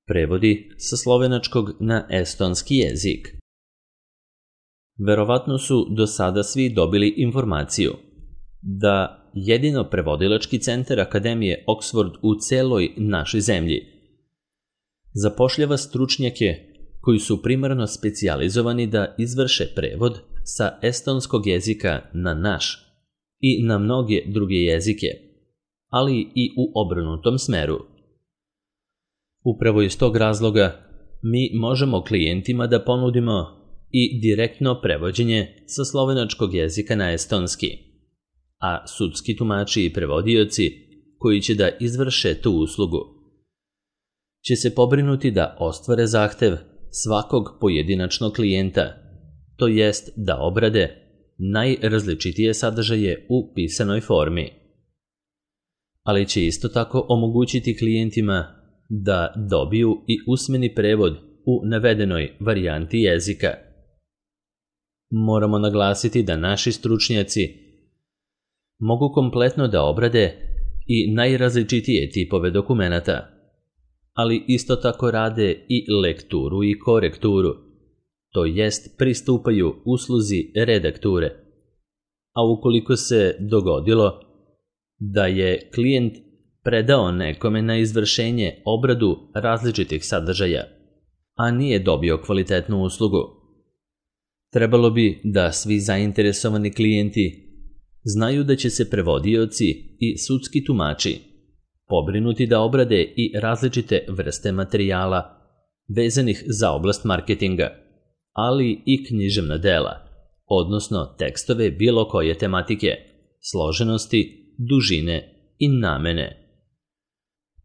Prevodi sa slovenačkog na estonski jezik. Verovatno su do sada svi dobili informaciju da jedino prevodilački centar Akademije Oxford u celoj našoj zemlji zapošljava stručnjake koji su primarno specijalizovani da izvrše prevod sa estonskog jezika na naš i na mnoge druge jezike, ali i u obrnutom smeru. Upravo iz tog razloga mi možemo klijentima da ponudimo i direktno prevođenje sa slovenačkog jezika na estonski, a sudski tumači i prevodioci koji će da izvrše tu uslugu će se pobrinuti da ostvare zahtev svakog pojedinačnog klijenta, to jest da obrade najrazličitije sadržaje u pisanoj formi. Ali će isto tako omogućiti klijentima da dobiju i usmeni prevod u navedenoj varijanti jezika. Moramo naglasiti da naši stručnjaci mogu kompletno da obrade i najrazličitije tipove dokumenata, ali isto tako rade i lekturu i korekturu, to jest pristupaju usluzi redakture. A ukoliko se dogodilo da je klijent predao nekome na izvršenje obradu različitih sadržaja, a nije dobio kvalitetnu uslugu, trebalo bi da svi zainteresovani klijenti znaju da će se prevodioci i sudski tumači pobrinuti da obrade i različite vrste materijala vezanih za oblast marketinga, ali i književna dela, odnosno tekstove bilo koje tematike, složenosti, dužine i namene.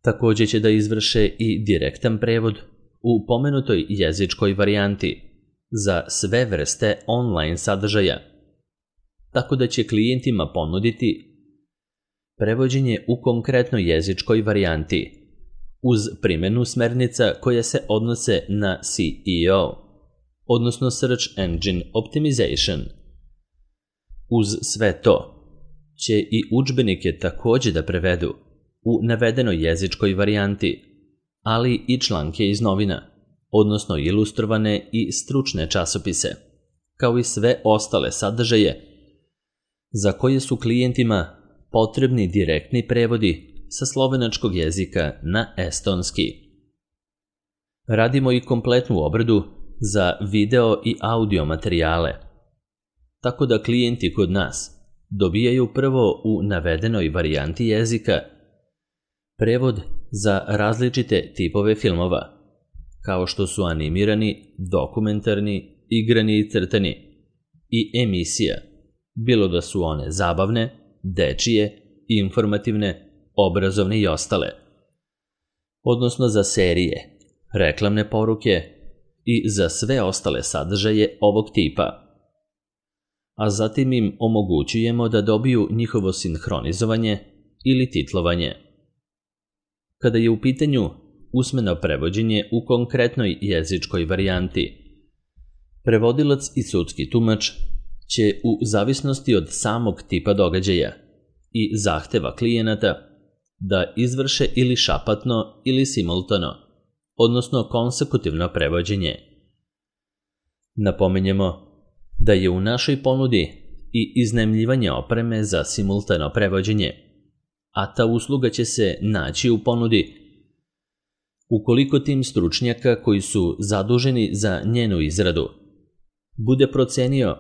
Također će da izvrše i direktan prevod u pomenutoj jezičkoj varijanti za sve vrste online sadržaja, tako da će klijentima ponuditi prevođenje u konkretnoj jezičkoj varijanti uz primjenu smernica koje se odnose na SEO, odnosno Search Engine Optimization. Uz sve to će i udžbenike također da prevedu u navedenoj jezičkoj varijanti, ali i članke iz novina, odnosno ilustrovane i stručne časopise, kao i sve ostale sadržaje za koje su klijentima potrebni direktni prevodi sa slovenačkog jezika na estonski. Radimo i kompletnu obradu za video i audio materijale, tako da klijenti kod nas dobijaju prvo u navedenoj varijanti jezika prevod za različite tipove filmova, kao što su animirani, dokumentarni, igrani i crtani, i emisija, bilo da su one zabavne, dečije, informativne, obrazovne i ostale, odnosno za serije, reklamne poruke i za sve ostale sadržaje ovog tipa. A zatim im omogućujemo da dobiju njihovo sinhronizovanje ili titlovanje. Kada je u pitanju usmeno prevođenje u konkretnoj jezičkoj varijanti, prevodilac i sudski tumač će u zavisnosti od samog tipa događaja i zahteva klijenata da izvrše ili šapatno ili simultano, odnosno konsekutivno prevođenje. Napominjemo da je u našoj ponudi i iznajmljivanje opreme za simultano prevođenje, a ta usluga će se naći u ponudi ukoliko tim stručnjaka koji su zaduženi za njenu izradu bude procenio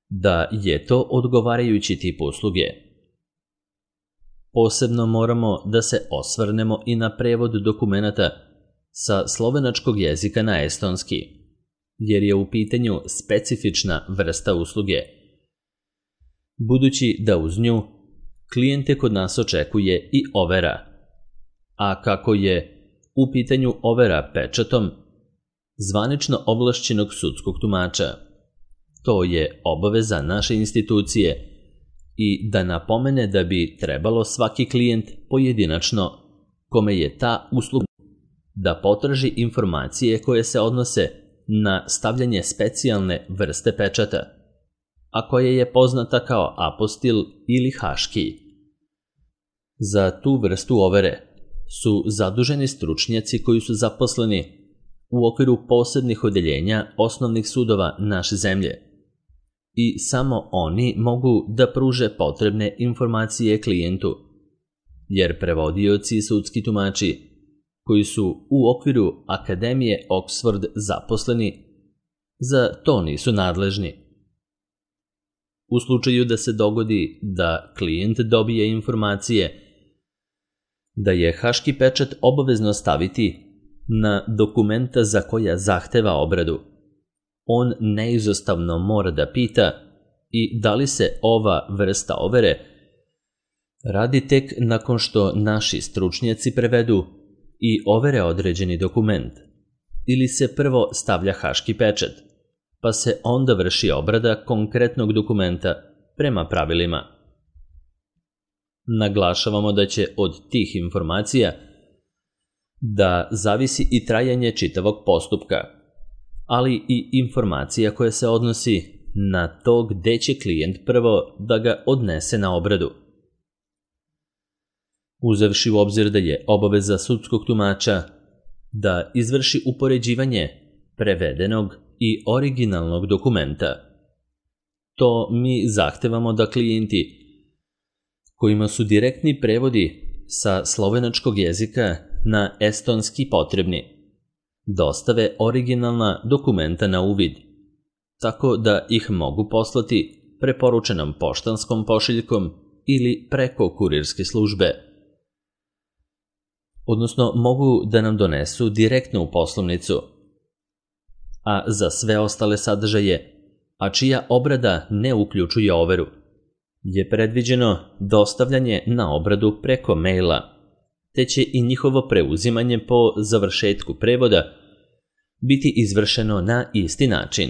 da je to odgovarajući tip usluge. Posebno moramo da se osvrnemo i na prevod dokumenata sa slovenačkog jezika na estonski, jer je u pitanju specifična vrsta usluge, budući da uz nju klijente kod nas očekuje i overa, a kako je u pitanju overa pečatom zvanično ovlašćenog sudskog tumača, to je obaveza naše institucije i da napomene da bi trebalo svaki klijent pojedinačno kome je ta usluga da potraži informacije koje se odnose na stavljanje specijalne vrste pečata, a koja je poznata kao apostil ili haški. Za tu vrstu overe su zaduženi stručnjaci koji su zaposleni u okviru posebnih odeljenja osnovnih sudova naše zemlje i samo oni mogu da pruže potrebne informacije klijentu, jer prevodioci i sudski tumači koji su u okviru Akademije Oxford zaposleni za to nisu nadležni. U slučaju da se dogodi da klijent dobije informacije da je haški pečat obavezno staviti na dokumenta za koja zahteva obradu, on neizostavno mora da pita i da li se ova vrsta overe radi tek nakon što naši stručnjaci prevedu i overe određeni dokument, ili se prvo stavlja haški pečat, pa se onda vrši obrada konkretnog dokumenta prema pravilima. Naglašavamo da će od tih informacija da zavisi i trajanje čitavog postupka, ali i informacija koja se odnosi na to gde će klijent prvo da ga odnese na obradu. Uzevši u obzir da je obaveza sudskog tumača da izvrši upoređivanje prevedenog i originalnog dokumenta, to mi zahtevamo da klijenti kojima su direktni prevodi sa slovenačkog jezika na estonski potrebni dostave originalna dokumenta na uvid, tako da ih mogu poslati preporučenom poštanskom pošiljkom ili preko kurirske službe, odnosno mogu da nam donesu direktno u poslovnicu, a za sve ostale sadržaje, a čija obrada ne uključuje overu, je predviđeno dostavljanje na obradu preko maila, te će i njihovo preuzimanje po završetku prevoda biti izvršeno na isti način.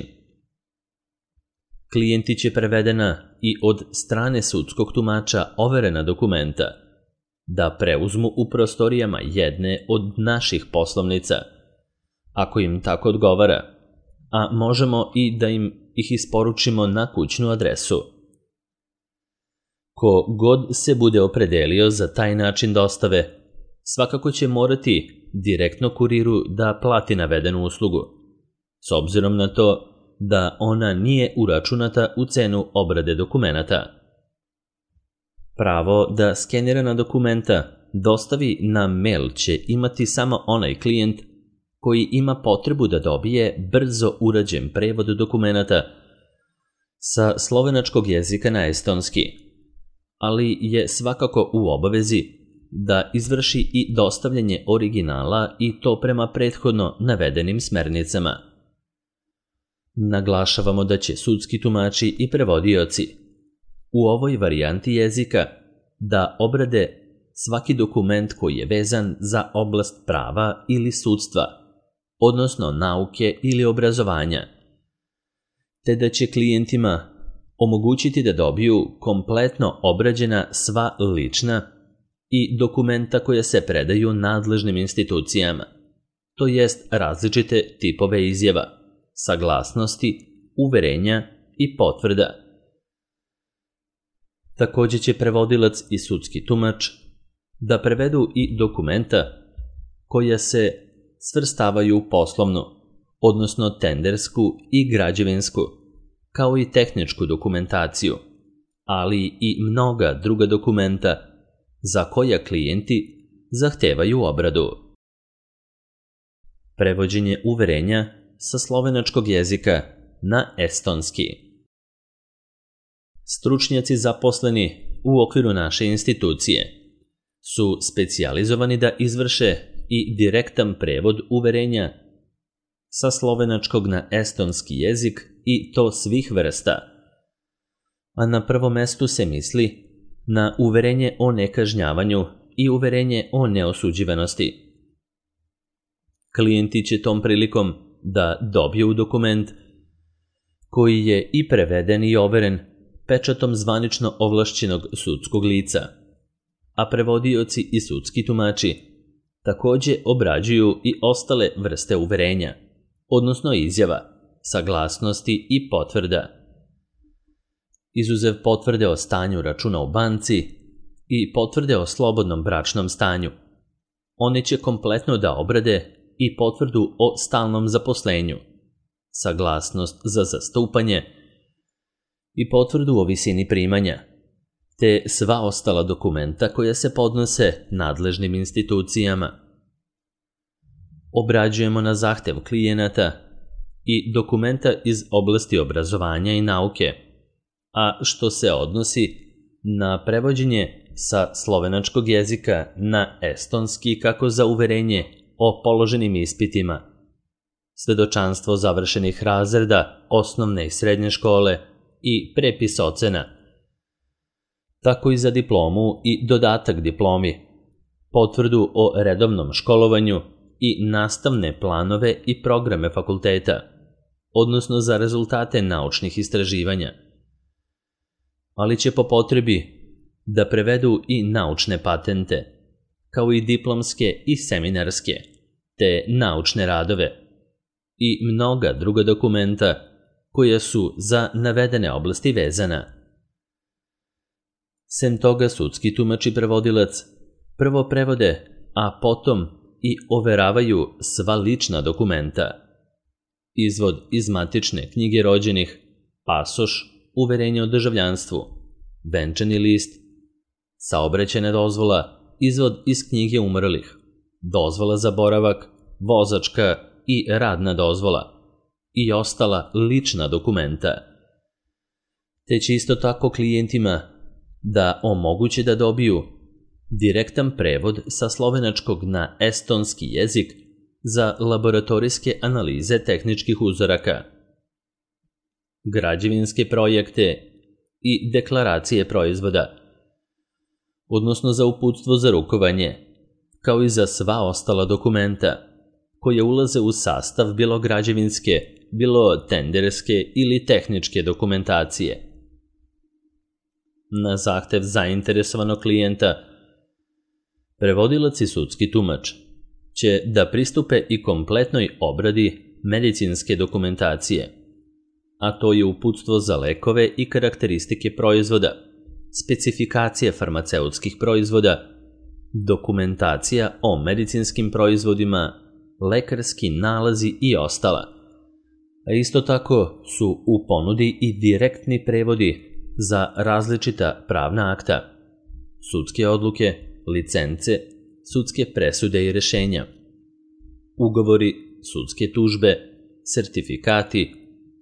Klijenti će prevedena i od strane sudskog tumača overena dokumenta da preuzmu u prostorijama jedne od naših poslovnica, ako im tako odgovara, a možemo i da im ih isporučimo na kućnu adresu. Ko god se bude opredelio za taj način dostave, svakako će morati direktno kuriru da plati navedenu uslugu, s obzirom na to da ona nije uračunata u cenu obrade dokumenata. Pravo da skenirana dokumenta dostavi na mail će imati samo onaj klijent koji ima potrebu da dobije brzo urađen prevod dokumenata sa slovenačkog jezika na estonski, ali je svakako u obavezi da izvrši i dostavljanje originala i to prema prethodno navedenim smernicama. Naglašavamo da će sudski tumači i prevodioci u ovoj varijanti jezika da obrade svaki dokument koji je vezan za oblast prava ili sudstva, odnosno nauke ili obrazovanja, te da će klijentima omogućiti da dobiju kompletno obrađena sva lična i dokumenta koja se predaju nadležnim institucijama, to jest različite tipove izjava, saglasnosti, uverenja i potvrda. Također će prevodilac i sudski tumač da prevedu i dokumenta koja se svrstavaju u poslovnu, odnosno tendersku i građevinsku, kao i tehničku dokumentaciju, ali i mnoga druga dokumenta za koja klijenti zahtevaju obradu. Prevođenje uverenja sa slovenačkog jezika na estonski. Stručnjaci zaposleni u okviru naše institucije su specijalizovani da izvrše i direktan prevod uverenja sa slovenačkog na estonski jezik i to svih vrsta, a na prvom mestu se misli na uverenje o nekažnjavanju i uverenje o neosuđivanosti. Klijenti će tom prilikom da dobiju dokument koji je i preveden i overen pečatom zvanično ovlašćenog sudskog lica, a prevodioci i sudski tumači također obrađuju i ostale vrste uverenja, odnosno izjava, saglasnosti i potvrda. Izuzev potvrde o stanju računa u banci i potvrde o slobodnom bračnom stanju, oni će kompletno da obrade i potvrdu o stalnom zaposlenju, saglasnost za zastupanje i potvrdu o visini primanja, te sva ostala dokumenta koja se podnose nadležnim institucijama. Obrađujemo na zahtev klijenata i dokumenta iz oblasti obrazovanja i nauke, a što se odnosi na prevođenje sa slovenačkog jezika na estonski kako za uverenje o položenim ispitima, svedočanstvo završenih razreda osnovne i srednje škole i prepis ocena, tako i za diplomu i dodatak diplomi, potvrdu o redovnom školovanju i nastavne planove i programe fakulteta, odnosno za rezultate naučnih istraživanja. Ali će po potrebi da prevedu i naučne patente, kao i diplomske i seminarske, te naučne radove i mnoga druga dokumenta koja su za navedene oblasti vezana. Sem toga, sudski tumač i prevodilac prvo prevode, a potom i overavaju sva lična dokumenta. Izvod iz matične knjige rođenih, pasoš, uverenje o državljanstvu, venčani list, saobraćajna dozvola, izvod iz knjige umrlih, dozvola za boravak, vozačka i radna dozvola i ostala lična dokumenta. Te će isto tako klijentima da omoguće da dobiju direktan prevod sa slovenačkog na estonski jezik za laboratorijske analize tehničkih uzoraka, građevinske projekte i deklaracije proizvoda, odnosno za uputstvo za rukovanje, kao i za sva ostala dokumenta koje ulaze u sastav bilo građevinske, bilo tenderske ili tehničke dokumentacije. Na zahtev zainteresovanog klijenta, prevodilac i sudski tumač će da pristupe i kompletnoj obradi medicinske dokumentacije, a to je uputstvo za lekove i karakteristike proizvoda, specifikacije farmaceutskih proizvoda, dokumentacija o medicinskim proizvodima, lekarski nalazi i ostala. A isto tako su u ponudi i direktni prevodi za različita pravna akta, sudske odluke, licence, sudske presude i rešenja, ugovori, sudske tužbe, sertifikati,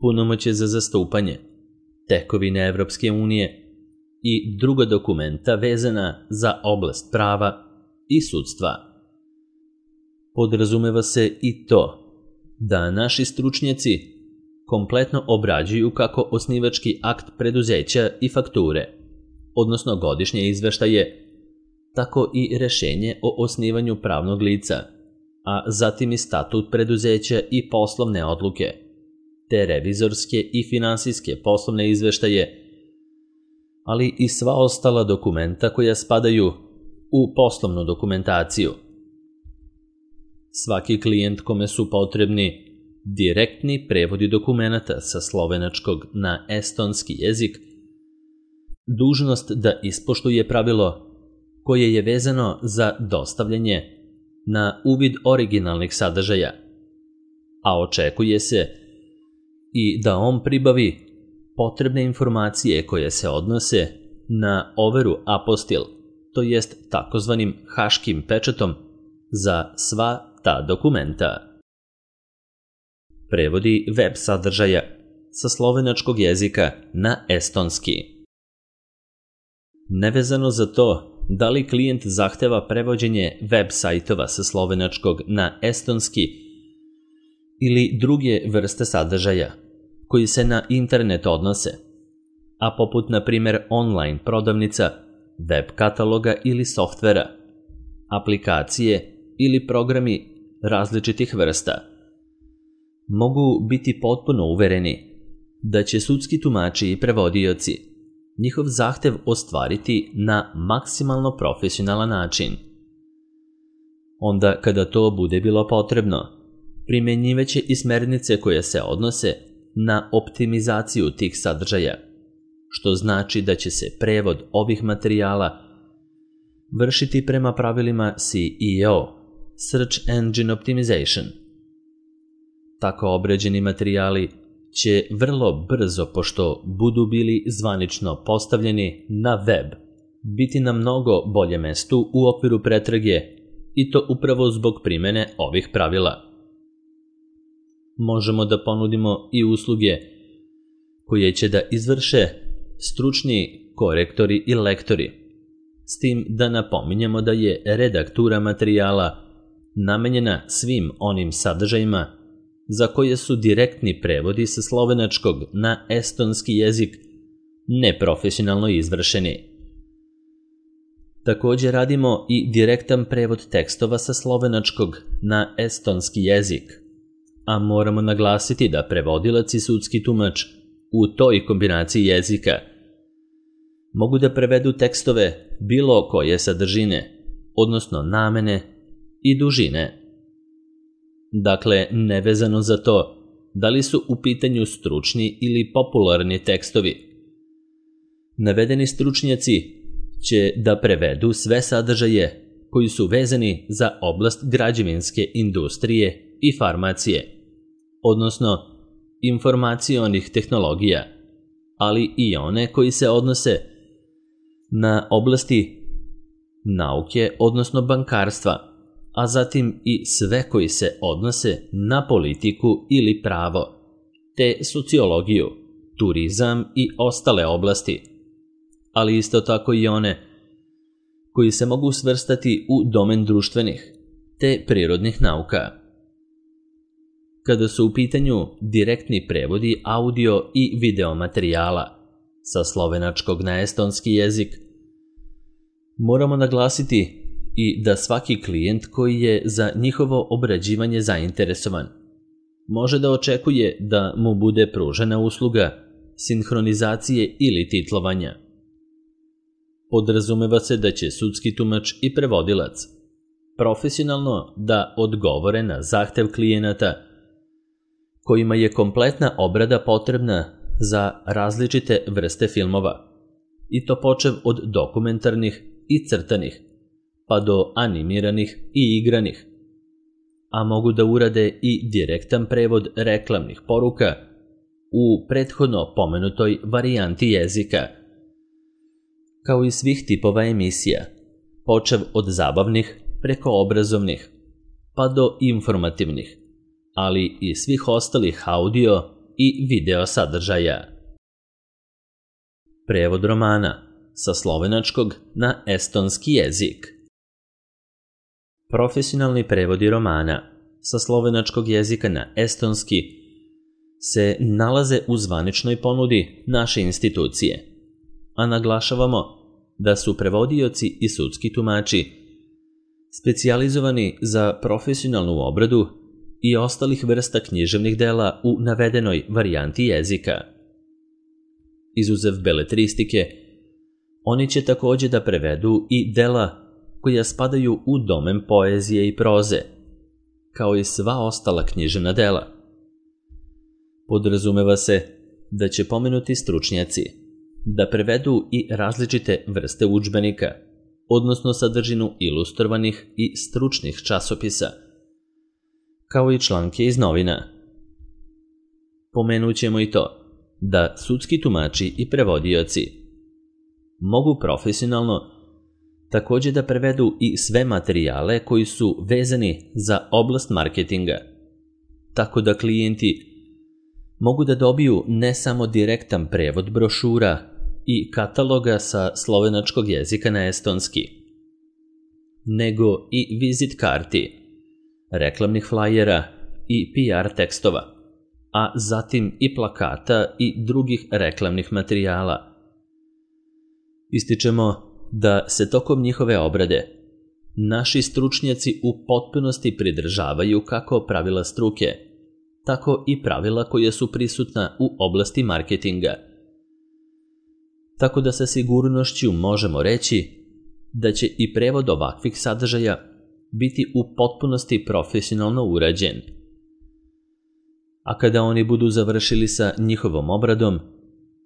punomoćje za zastupanje, tekovine Evropske unije i druga dokumenta vezana za oblast prava i sudstva. Podrazumeva se i to da naši stručnjaci kompletno obrađuju kako osnivački akt preduzeća i fakture, odnosno godišnje izveštaje, tako i rešenje o osnivanju pravnog lica, a zatim i statut preduzeća i poslovne odluke, te revizorske i finansijske poslovne izveštaje, ali i sva ostala dokumenta koja spadaju u poslovnu dokumentaciju. Svaki klijent kome su potrebni direktni prevodi dokumenata sa slovenačkog na estonski jezik, dužnost da ispoštuje pravilo koje je vezano za dostavljanje na uvid originalnih sadržaja, a očekuje se i da on pribavi potrebne informacije koje se odnose na overu apostil, to jest takozvanim haškim pečatom za sva ta dokumenta. Prevodi web sadržaja sa slovenačkog jezika na estonski. Nevezano za to da li klijent zahteva prevođenje web sajtova sa slovenačkog na estonski ili druge vrste sadržaja koji se na internet odnose, a poput na primjer online prodavnica, web kataloga ili softvera, aplikacije ili programi različitih vrsta, mogu biti potpuno uvereni da će sudski tumači i prevodioci njihov zahtev ostvariti na maksimalno profesionalan način. Onda kada to bude bilo potrebno, primenjivaće i smernice koje se odnose na optimizaciju tih sadržaja, što znači da će se prevod ovih materijala vršiti prema pravilima CEO, Search Engine Optimization. Tako obrađeni materijali će vrlo brzo, pošto budu bili zvanično postavljeni na web, biti na mnogo bolje mestu u okviru pretrage i to upravo zbog primjene ovih pravila. Možemo da ponudimo i usluge koje će da izvrše stručni korektori i lektori, s tim da napominjemo da je redaktura materijala namenjena svim onim sadržajima za koje su direktni prevodi sa slovenačkog na estonski jezik neprofesionalno izvršeni. Također radimo i direktan prevod tekstova sa slovenačkog na estonski jezik, a moramo naglasiti da prevodilac i sudski tumač u toj kombinaciji jezika mogu da prevedu tekstove bilo koje sadržine, odnosno namene i dužine. Dakle, nevezano za to da li su u pitanju stručni ili popularni tekstovi. Navedeni stručnjaci će da prevedu sve sadržaje koji su vezani za oblast građevinske industrije i farmacije, odnosno informacionih tehnologija, ali i one koji se odnose na oblasti nauke, odnosno bankarstva, a zatim i sve koji se odnose na politiku ili pravo, te sociologiju, turizam i ostale oblasti, ali isto tako i one koji se mogu svrstati u domen društvenih te prirodnih nauka. Kada su u pitanju direktni prevodi audio i video materijala sa slovenačkog na estonski jezik, moramo naglasiti i da svaki klijent koji je za njihovo obrađivanje zainteresovan može da očekuje da mu bude pružena usluga sinhronizacije ili titlovanja. Podrazumeva se da će sudski tumač i prevodilac profesionalno da odgovore na zahtev klijenata kojima je kompletna obrada potrebna za različite vrste filmova, i to počev od dokumentarnih i crtanih, pa do animiranih i igranih, a mogu da urade i direktan prevod reklamnih poruka u prethodno pomenutoj varijanti jezika, kao i svih tipova emisija, počev od zabavnih preko obrazovnih, pa do informativnih, ali i svih ostalih audio i video sadržaja. Prevod romana sa slovenačkog na estonski jezik. Profesionalni prevodi romana sa slovenačkog jezika na estonski se nalaze u zvaničnoj ponudi naše institucije, a naglašavamo da su prevodioci i sudski tumači specijalizovani za profesionalnu obradu i ostalih vrsta književnih dela u navedenoj varijanti jezika. Izuzev beletristike, oni će također da prevedu i dela koja spadaju u domen poezije i proze, kao i sva ostala književna dela. Podrazumeva se da će pomenuti stručnjaci da prevedu i različite vrste udžbenika, odnosno sadržinu ilustrovanih i stručnih časopisa, kao i članke iz novina. Pomenut ćemo i to da sudski tumači i prevodioci mogu profesionalno također da prevedu i sve materijale koji su vezani za oblast marketinga, tako da klijenti mogu da dobiju ne samo direktan prevod brošura i kataloga sa slovenačkog jezika na estonski, nego i vizit karti, reklamnih flajera i PR tekstova, a zatim i plakata i drugih reklamnih materijala. Ističemo da se tokom njihove obrade naši stručnjaci u potpunosti pridržavaju kako pravila struke, tako i pravila koja su prisutna u oblasti marketinga. Tako da sa sigurnošću možemo reći da će i prevod ovakvih sadržaja biti u potpunosti profesionalno urađen. A kada oni budu završili sa njihovom obradom,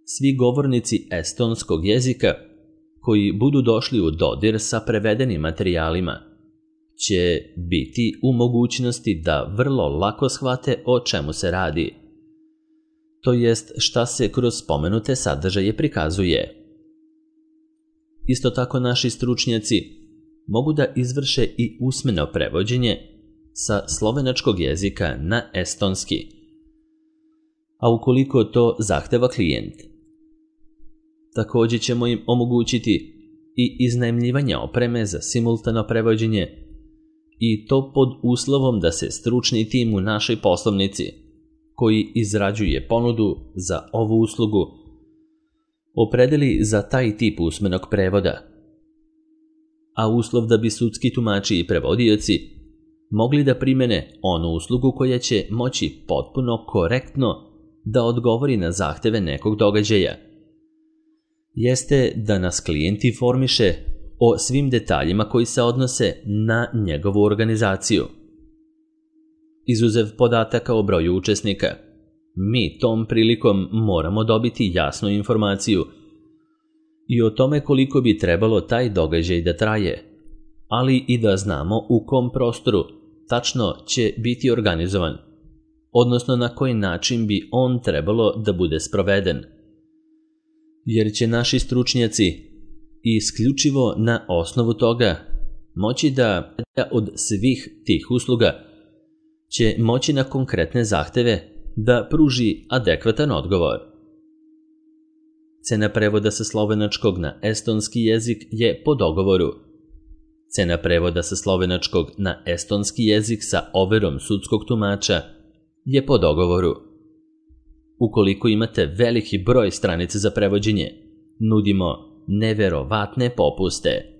svi govornici estonskog jezika koji budu došli u dodir sa prevedenim materijalima će biti u mogućnosti da vrlo lako shvate o čemu se radi, to jest šta se kroz spomenute sadržaje prikazuje. Isto tako naši stručnjaci mogu da izvrše i usmeno prevođenje sa slovenačkog jezika na estonski, a ukoliko to zahteva klijent. Također ćemo im omogućiti i iznajmljivanje opreme za simultano prevođenje, i to pod uslovom da se stručni tim u našoj poslovnici, koji izrađuje ponudu za ovu uslugu, opredeli za taj tip usmenog prevoda. A uslov da bi sudski tumači i prevodioci mogli da primene onu uslugu koja će moći potpuno korektno da odgovori na zahteve nekog događaja, jeste da nas klijent informiše o svim detaljima koji se odnose na njegovu organizaciju. Izuzev podataka o broju učesnika, mi tom prilikom moramo dobiti jasnu informaciju i o tome koliko bi trebalo taj događaj da traje, ali i da znamo u kom prostoru tačno će biti organizovan, odnosno na koji način bi on trebalo da bude sproveden. Jer će naši stručnjaci isključivo na osnovu toga moći da od svih tih usluga će moći na konkretne zahteve da pruži adekvatan odgovor. Cena prevoda sa slovenačkog na estonski jezik je po dogovoru. Cena prevoda sa slovenačkog na estonski jezik sa overom sudskog tumača je po dogovoru. Ukoliko imate veliki broj stranica za prevođenje, nudimo neverovatne popuste.